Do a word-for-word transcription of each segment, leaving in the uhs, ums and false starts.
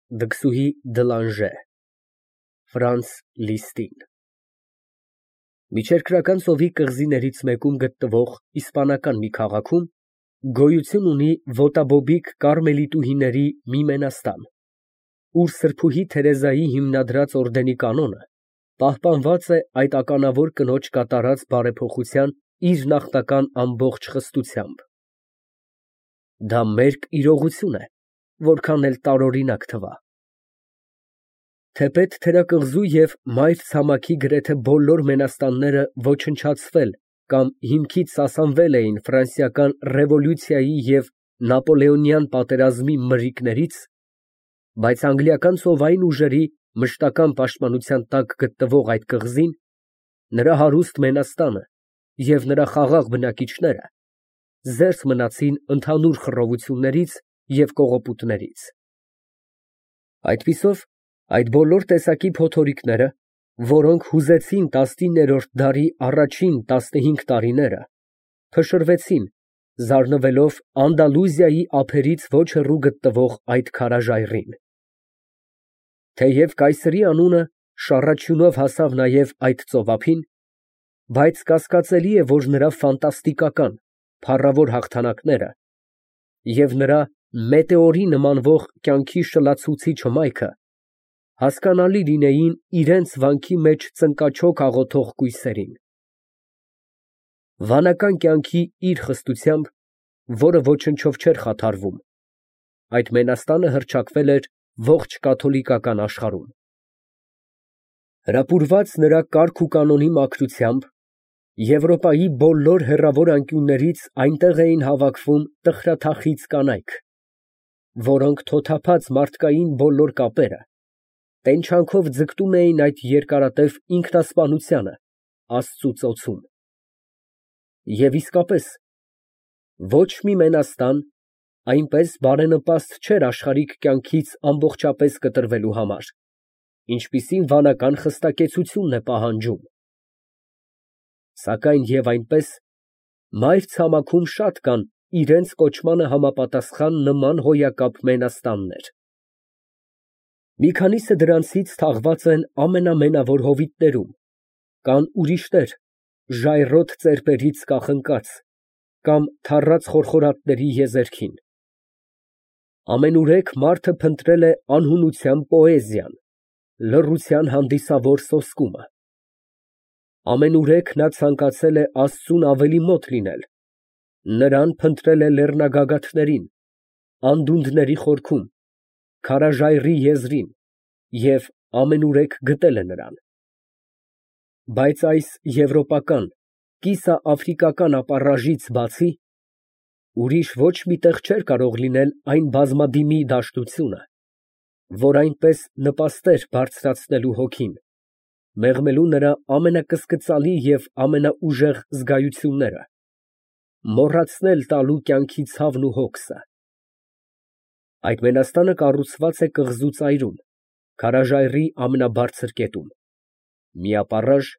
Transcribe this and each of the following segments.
Դքսուհի Դլանժե Ֆրանց Լիստին Միջերկրական ծովի կղզիներից մեկում գտնվող իսպանական մի քաղաքում գոյություն ունի ոտաբոբիկ կարմելիտուհիների մի մենաստան, ուր սրբուհի Թերեզայի հիմնադրած օրդենի կանոնը պահպանված է այդ ականավոր կնոջ կատարած բարեփոխության իր նախնական ամբողջ խստությամբ։ Դա մերկ իրողություն է, որքան էլ տարօրինակ թվա։ Թեպետ թերակղզու և մայր ցամաքի գրեթե բոլոր մենաստանները ոչնչացվել կամ հիմքից սասանվել էին ֆրանսիական ռևոլյուցիայի և նապոլեոնյան պատերազմի մրրիկներից, բայց անգլիական ծովային ուժերի մշտական պաշտպանության տակ գտնվող այդ կղզին, նրա հարուստ մենաստանը և նրա խաղաղ բնակիչները զերծ մնացին ընդհանուր խռովություններից և կողոպուտներից։ Այդպիսով այդ բոլոր տեսակի փոթորիկները, որոնք հուզեցին տասնիններորդ դարի առաջին տասնհինգ տարիները, փշրվեցին, զարնվելով Անդալուզիայի ափերից ոչ հեռու գտնվող այդ քարաժայռին։ Թեև կայսրի անունը շառաչյունով հասավ նաև այդ ծովափին, բայց կասկածելի է, որ նրա ֆանտաստիկական, փառավոր հաղթանակները և նրա մետեորի նմանվող կյանքի շլացուցիչ հմայքը հասկանալի լինեին իրենց վանքի մեջ ծնկաչոք աղոթող կույսերին։ Վանական կյանքի իր խստությամբ, որը ոչնչով չէր խաթարվում, այդ մենաստանը հռչակվել էր ողջ կաթոլիկական աշխարհում։ Հրապուրված նրա կարգ ու կանոնի մաքրությամբ, Եվրոպայի բոլոր հեռավոր անկյուններից այնտեղ էին հավաքվում տխրաթախիծ կանայք, որոնք թոթափած մարդկային բոլոր կապերը, տենչանքով ձգտում էին այդ երկարատև ինքնասպանությանը, Աստծու ծոցում։ Եվ իսկապես, ոչ մի մենաստան այնպես բարենպաստ չէր աշխարհիկ կյանքից ամբողջապես կտրվելու համար, ինչպիսին վանական խստակեցությունն է պահանջում։ Սակայն և այնպես, մայր ցամաքում շատ կան իրենց կոչմանը համապատասխան նման հոյակապ մենաստաններ։ Մի քանիսը դրանցից թաղված են ամենամենավոր հովիտներում, կան ուրիշներ ժայռոտ ծեպերից կախնկած կամ թառած խորխորատների եզերքին։ Ամենուրեք մարդը փնտրել է անհունության պոեզիան, լռության հանդիսավոր սոսկումը։ Ամենուրեք նա ցանկացել է Աստծուն ավելի մոտ լինել, նրան փնտրել է լեռնագագաթներին, անդունդների խորքում, քարաժայռի եզրին և ամենուրեք գտել է նրան։ Բայց այս եվրոպական, կիսաաֆրիկական ապառաժից բացի, ուրիշ ոչ մի տեղ չէր կարող լինել այն բազմադիմի դաշտությունը, որ այնպես նպաստեր բարձրացնելու հոգին, մեղմելու նրա ամենակսկծալի և ամենաուժեղ զգայությունները, մոռացնել տալու կյանքի ցավն ու հոգսը։ Այդ մենաստանը կառուցված է կղզու ծայրում, քարաժայռի ամենաբարձր կետում, մի ապառաժ,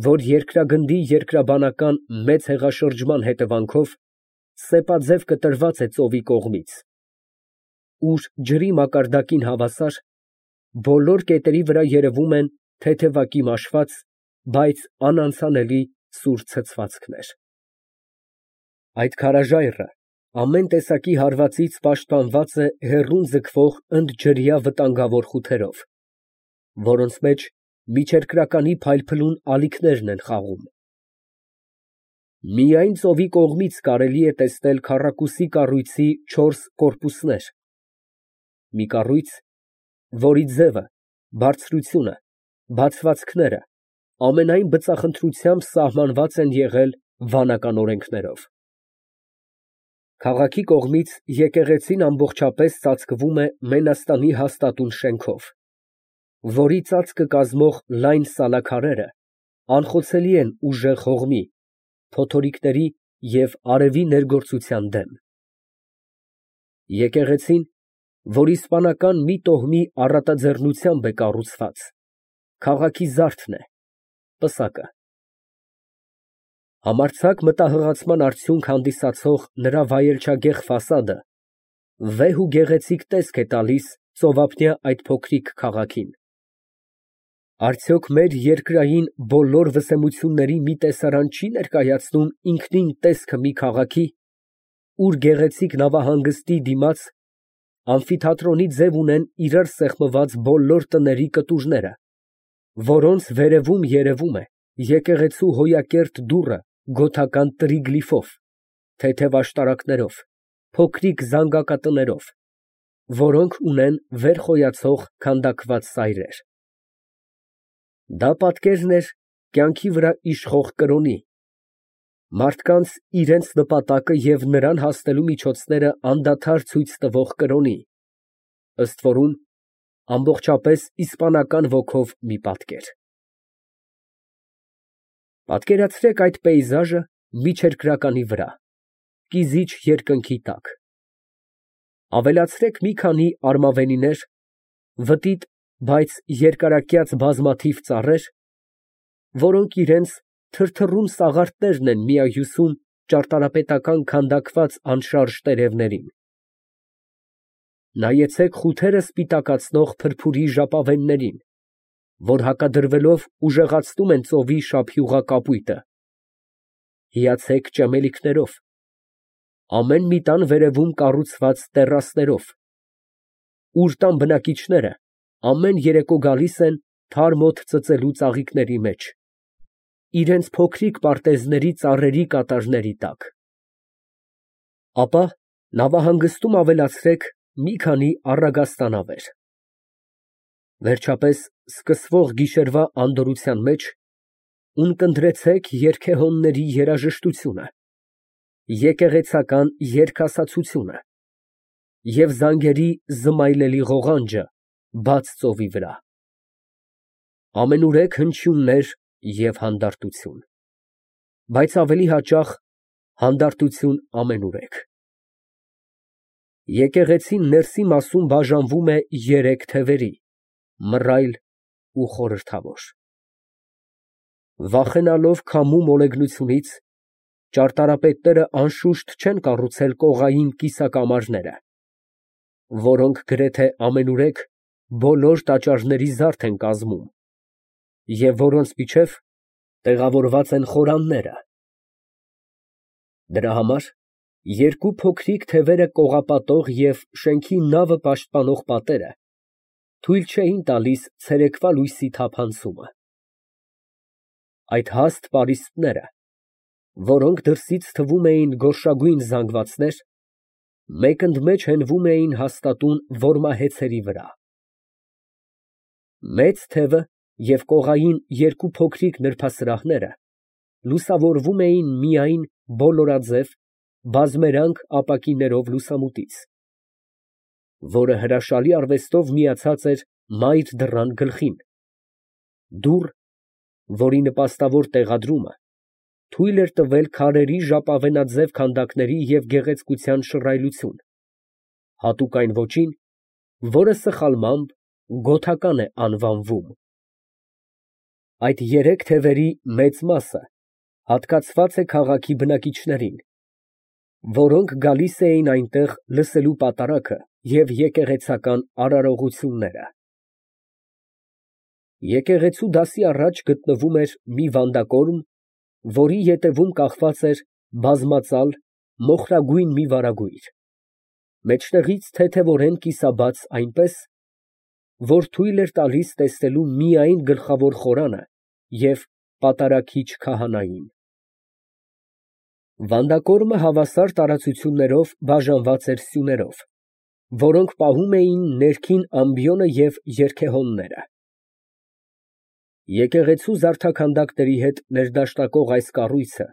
որ երկրագնդի երկրաբանական մեծ հեղաշրջման հետևանքով սեպաձև կտրված է ծովի կողմից, ուր ջրի մակարդակին հավասար, բոլոր կետերի վրա երևում են թեթևակի մաշված, բայց անանցանելի սուր ցցվածքներ։ Այդ քարաժայռը ամեն տեսակի հարվածից պաշտպանված է հեռուն ձգվող ընդջրյա վտանգավոր խութերով, որոնց մեջ միջերկրականի փայլփլուն ալիքներն են խաղում։ Միայն ծովի կողմից կարելի է տեսնել քառակուսի կառույցի չորս կորպուսներ, մի կառույց, որի ձևը, բարձրությունը, բացվածքները ամենայն բծախնդրությամբ սահմանված են եղել վանական օրենքներով։ Քաղաքի կողմից եկեղեցին ամբողջապես ծածկվում է մենաստանի հաստատուն շենքով, որի ծածկը կազմող լայն սալաքարերը անխոցելի են ուժեղ հողմի, փոթորիկների և արևի ներգործության դեմ։ Եկեղեցին, որ իսպանական մի տոհմի առատաձեռնությամբ է կառուցված, քաղաքի զարդն է, պսակը։ Համարձակ մտահղացման արդյունք հանդիսացող նրա վայելչագեղ ֆասադը վեհ ու գեղեցիկ տեսք է տալիս ծովափնյա այդ փոքրիկ քաղաքին։ Արդյոք մեր երկրային բոլոր վսեմությունների մի տեսարան չի ներկայացնում ինքնին տեսքը մի քաղաքի, ուր գեղեցիկ նավահանգստի դիմաց ամֆիթատրոնի ձև ունեն իրար սեղմված բոլոր տների կտուրները, որոնց վերևում երևում է եկեղեցու հոյակերտ դուռը գոթական տրիգլիֆով, թեթև աշտարակներով, փոքրիկ զանգակատներով, որոնք ունեն վեր խոյացող քանդակված սայրեր։ Դա պատկերն էր կյանքի վրա իշխող կրոնի, մարդկանց իրենց նպատակը և նրան հասնելու միջոցները անդադար ցույց տվող կրոնի, ըստ որում ամբողջապես իսպանական ոգով մի պատկեր։ Պատկերացրեք այդ պեյզաժը միջերկրականի վրա, կիզիչ երկնքի տակ։ Ավելացրեք մի քանի արմավենիներ, վտիտ, բայց երկարակյաց բազմաթիվ ծառեր, որոնք իրենց թրթռուն սաղարթներն են միահյուսում ճարտարապետական քանդակված անշարժ տերևներին։ Նայեցեք խութերը սպիտակացնող փրփուրի ժապավեններին, որ հակադրվելով ուժեղացնում են ծովի շափյուղա կապույտը։ Հիացեք ճեմելիքներով, ամեն մի տան վերևում կառուցված տեռասներով, ուր տան բնակիչները ամեն երեկո գալիս են թարմ օդ ծծելու ծաղիկների մեջ, իրենց փոքրիկ պարտեզների ծառերի կատարների տակ։ Ապա նավահանգստում ավելացրեք մի քանի առագաստանավեր։ Վերջապես սկսվող գիշերվա անդորրության մեջ ունկնդրեցեք երգեհոնների երաժշտությունը, եկեղեցական երգասացությունը և զանգերի զմայլելի ղողանջը բաց ծովի վրա։ Ամենուրեք հնչյուններ և հանդարտություն, բայց ավելի հաճախ հանդարտություն ամենուրեք։ Եկեղեցին ներսի մասում բաժանվում է երեք թևերի՝ մռայլ ու խորհրդավոր։ Վախենալով քամու մոլեգնությունից, ճարտարապետները անշուշտ չեն կառուցել կողային կիսակամարները, որոնք գրեթե ամենուրեք բոլոր տաճարների զարդ են կազմում և որոնց միջև տեղավորված են խորանները։ Դրա համար երկու փոքրիկ թևերը կողապատող և շենքի նավը պաշտպանող պատերը թույլ չէին տալիս ցերեկվա լույսի թափանցումը։ Այդ հաստ պարիսպները, որոնք դրսից թվում էին գորշագույն զանգվածներ, մեկընդմեջ հենվում էին հաստատուն որմահեցերի վրա։ Մեծ թևը և կողային երկու փոքրիկ նրբասրահները լուսավորվում էին միայն բոլորաձև, բազմերանգ ապակիներով լուսամուտից, որը հրաշալի արվեստով միացած էր մայր դռան գլխին, դուռ, որի նպաստավոր տեղադրումը թույլ էր տվել քարերի ժապավենաձև քանդակների և գեղեցկության շռայլություն, հատուկ այն ոճին, որը սխալմամբ գոթական է անվանվում։ Այդ երեք թևերի մեծ մասը հատկացված է քաղաքի բնակիչներին, որոնք գալիս էին այնտեղ լսելու պատարագը և եկեղեցական արարողությունները։ Եկեղեցու դասի առաջ գտնվում էր մի վանդակորմ, որի ետևում կախված էր բազմածալ մոխրագույն մի վարագույր, մեջտեղից թեթևորեն կիսաբաց այնպես, որ թույլ էր տալիս տեսնելու միայն գլխավոր խորանը և պատարագիչ քահանային։ Վանդակորմը հավասար տարածություններով բաժանված էր սյուներով, որոնք պահում էին ներքին ամբիոնը և երգեհոնները։ Եկեղեցու զարդաքանդակների հետ ներդաշնակող այս կառույցը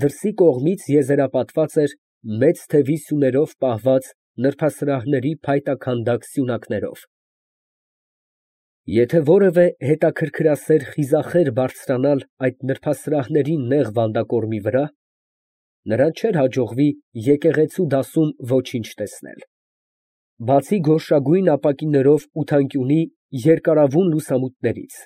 դրսի կողմից եզերապատված էր մեծ թևի սյուներով պահված նրբասրահների փայտաքանդակ սյունակներով։ Եթե որևէ հետաքրքրասեր խիզախեր բարձրանալ այդ նրբասրահների նեղ վանդակորմի վրա, նրան չէր հաջողվի եկեղեցու դասում ոչինչ տեսնել, բացի գորշագույն ապակիներով ութանկյունի երկարավուն լուսամուտներից,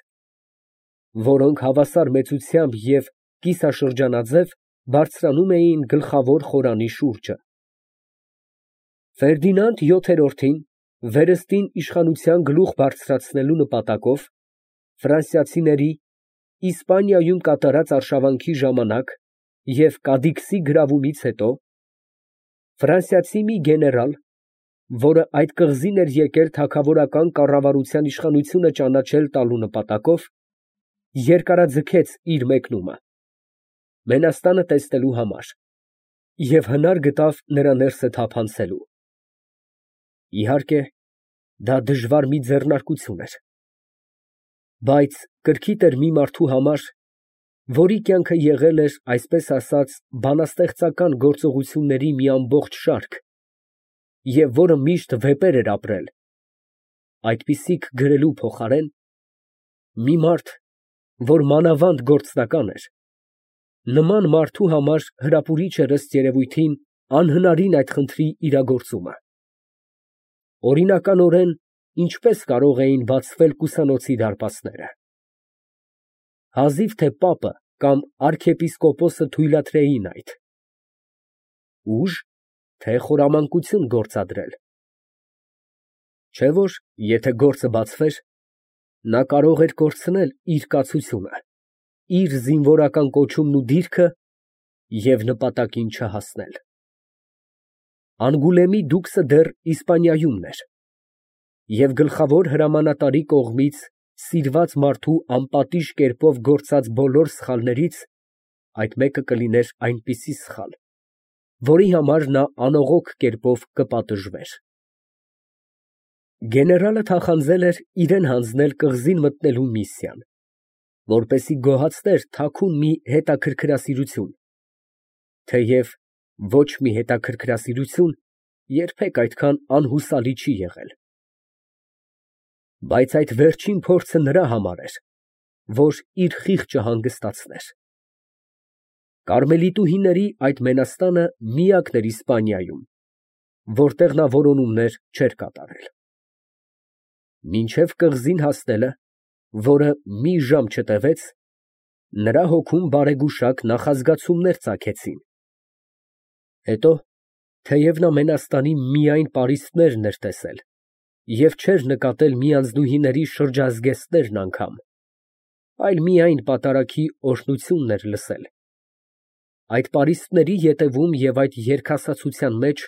որոնք հավասար մեծությամբ և կիսաշրջանաձև բարձրանում էին գլխավոր խորանի շուրջը։ Ֆերդինանդ յոթերորդին Վերստին իշխանության գլուխ բարձրացնելու նպատակով ֆրանսիացիների Իսպանիայում կատարած արշավանքի ժամանակ և Կադիքսի գրավումից հետո ֆրանսիացի մի գեներալ, որը այդ կղզին էր եկել թագավորական կառավարության իշխանությունը ճանաչել տալու նպատակով, երկարաձգեց իր մեկնումը Մենաստանը տեսնելու համար և հնար գտավ նրա ներսը թափանցելու։ Իհարկե, դա դժվար մի ձեռնարկություն էր, բայց կրքիտ էր մի մարդու համար, որի կյանքը եղել էր, այսպես ասած, բանաստեղծական գործողությունների մի ամբողջ շարք և որը միշտ վեպեր էր ապրել, այդպիսիք գրելու փոխարեն, մի մարդ, որ մանավանդ գործնական էր, նման մարդու համար հրապուրիչ էր ըստ երևույթին անհնարին այդ խնդրի իրագործումը։ Օրինականորեն, ինչպե՞ս կարող էին բացվել կուսանոցի դարպասները։ Հազիվ թե պապը կամ արքեպիսկոպոսը թույլատրեին այդ։ Ուժ, թե խորամանկություն գործադրել։ Չէ՞ որ եթե գործը բացվեր, նա կարող էր կորցնել իր կացությունը, իր զինվորական կոչումն ու դիրքը և նպատակին չհասնել։ Անգուլեմի դուքսը դեռ Իսպանիայումն էր, և գլխավոր հրամանատարի կողմից սիրված մարդու անպատիժ կերպով գործած բոլոր սխալներից այդ մեկը կլիներ այնպիսի սխալ, որի համար նա անողոք կերպով կպատժվեր։ Գեներալը թախանձել էր իրան հանձնել կղզին մտնելու միսիան, որպեսզի գոհացներ թաքուն մի հետաքրքրասիրություն, թեև ոչ մի հետաքրքրասիրություն երբեք այդքան անհուսալի չի եղել։ Բայց այդ վերջին փորձը նրա համար էր, որ իր խիղճը հանգստացներ։ Կարմելիտուհիների այդ մենաստանը միակն էր Իսպանիայում, որտեղ նա որոնումներ չէր կատարել։ Մինչև կղզին հասնելը, որը մի ժամ չտևեց, նրա հոգում բարեգուշակ նախազգացումներ ծագեցին։ Հետո, թեև նա Մենաստանի միայն պարիսպներն էր տեսել և չէր նկատել մի անձնուհիների շրջազգեստներն անգամ, այլ միայն պատարագի օրհնությունն էր լսել, այդ պարիսպների ետևում և այդ երգասացության մեջ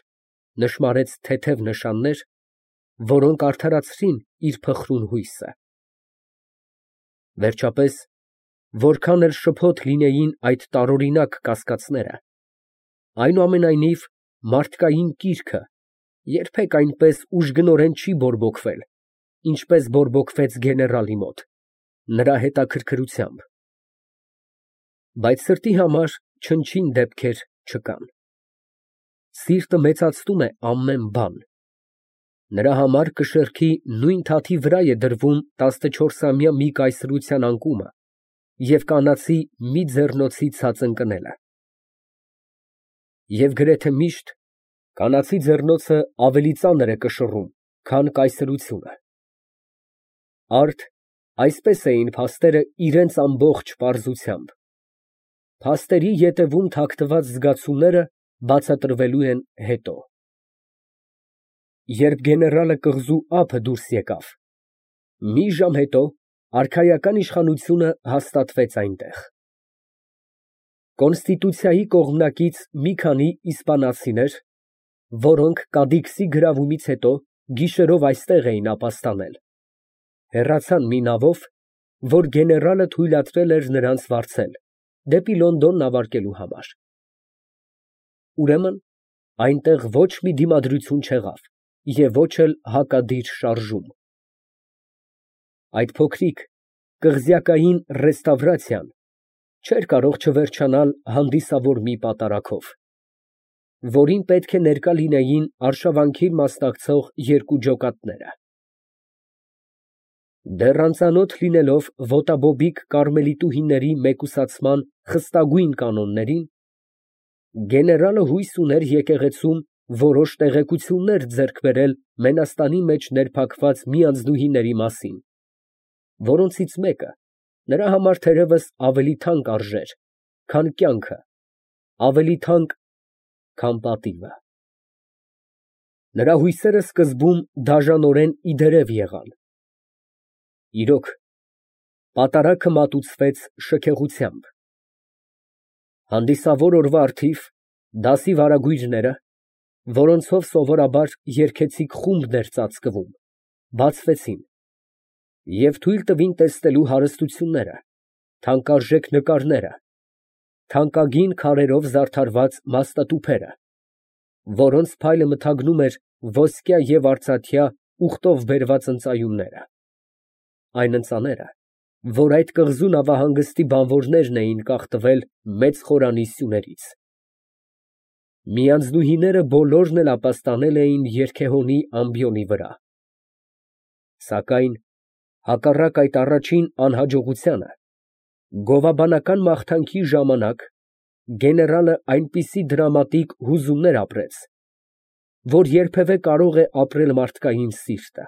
նշմարեց թեթև նշաններ, որոնք արդարացրին իր փխրուն հույսը։ Վերջապես, որքան էլ շփոթ լինեին այդ տարօրինակ կասկածները, այնուամենայնիվ մարդկային կիրքը երբեք այնպես ուժգնորեն չի բորբոքվել, ինչպես բորբոքվեց գեներալի մոտ, նրա հետաքրքրությամբ։ Բայց սրտի համար չնչին դեպքեր չկան։ Սիրտը մեծացնում է ամեն բան։ Նրա համար կշեռքի նույն թաթի վրա է դրվում տասնչորսամյա մի կայսրության անկումը և կանացի մի ձեռնոցի ցած ընկնելը։ Եվ գրեթե միշտ կանացի ձեռնոցը ավելի ծանր է կշռում, քան կայսրությունը։ Արդ այսպես էին փաստերը իրենց ամբողջ պարզությամբ։ Փաստերի ետևում թաքնված զգացումները բացատրվելու են հետո։ Երբ գեներալը կղզու ափը դուրս եկավ, մի ժամ հետո արքայական իշխանությունը հաստատվեց այնտեղ։ Կոնստիտուցիայի կողմնակից մի քանի իսպանացիներ, որոնք Կադիքսի գրավումից հետո գիշերով այստեղ էին ապաստանել, հեռացան մի նավով, որ գեներալը թույլատրել էր նրանց վարձել դեպի Լոնդոն նավարկելու համար։ Ուրեմն այնտեղ ոչ մի դիմադրություն չեղավ և ոչ էլ հակադիր շարժում։ Այդ փոքրիկ կղզյակային ռեստավրացիան չէր կարող չվերջանալ հանդիսավոր մի պատարագով, որին պետք է ներկա լինեին արշավանքին մասնակցող երկու ջոկատները։ Դեռ անծանոթ լինելով ոտաբոբիկ կարմելիտուհիների մեկուսացման խստագույն կանոններին, գեներալը հույս ուներ եկեղեցում որոշ տեղեկություններ ձեռք բերել Մենաստանի մեջ ներփակված մի անձնուհիների մասին, որոնցից մեկը նրա համար թերևս ավելի թանկ արժեր, քան կյանքը, ավելի թանկ, քան պատիվը։ Նրա հույսերը սկզբում դաժանորեն ի դերև եղան։ Իրոք, պատարագը մատուցվեց շքեղությամբ։ Հանդիսավոր օրվա առթիվ դասի վարագույրները, որոնցով սովորաբար երգեցիկ խումբն էր ծածկվում, բացվեցին և թույլ տվին տեսնելու հարստությունները, թանկարժեք նկարները, թանկագին քարերով զարդարված մաստատուփերը, որոնց փայլը մթագնում էր ոսկյա և արծաթյա ուղտով բերված ընծայումները, այն ընծաները, որ այդ կղզու նավահանգստի բանվորներն էին կախտվել մեծ խորանի սյուներից։ Միանձնուհիները բոլորն էլ ապաստանել էին երգեհոնի ամբիոնի վրա, սակայն հակառակ այդ առաջին անհաջողությանը, գովաբանական մաղթանքի ժամանակ գեներալը այնպիսի դրամատիկ հուզումներ ապրեց, որ երբևէ կարող է ապրել մարդկային սիրտը։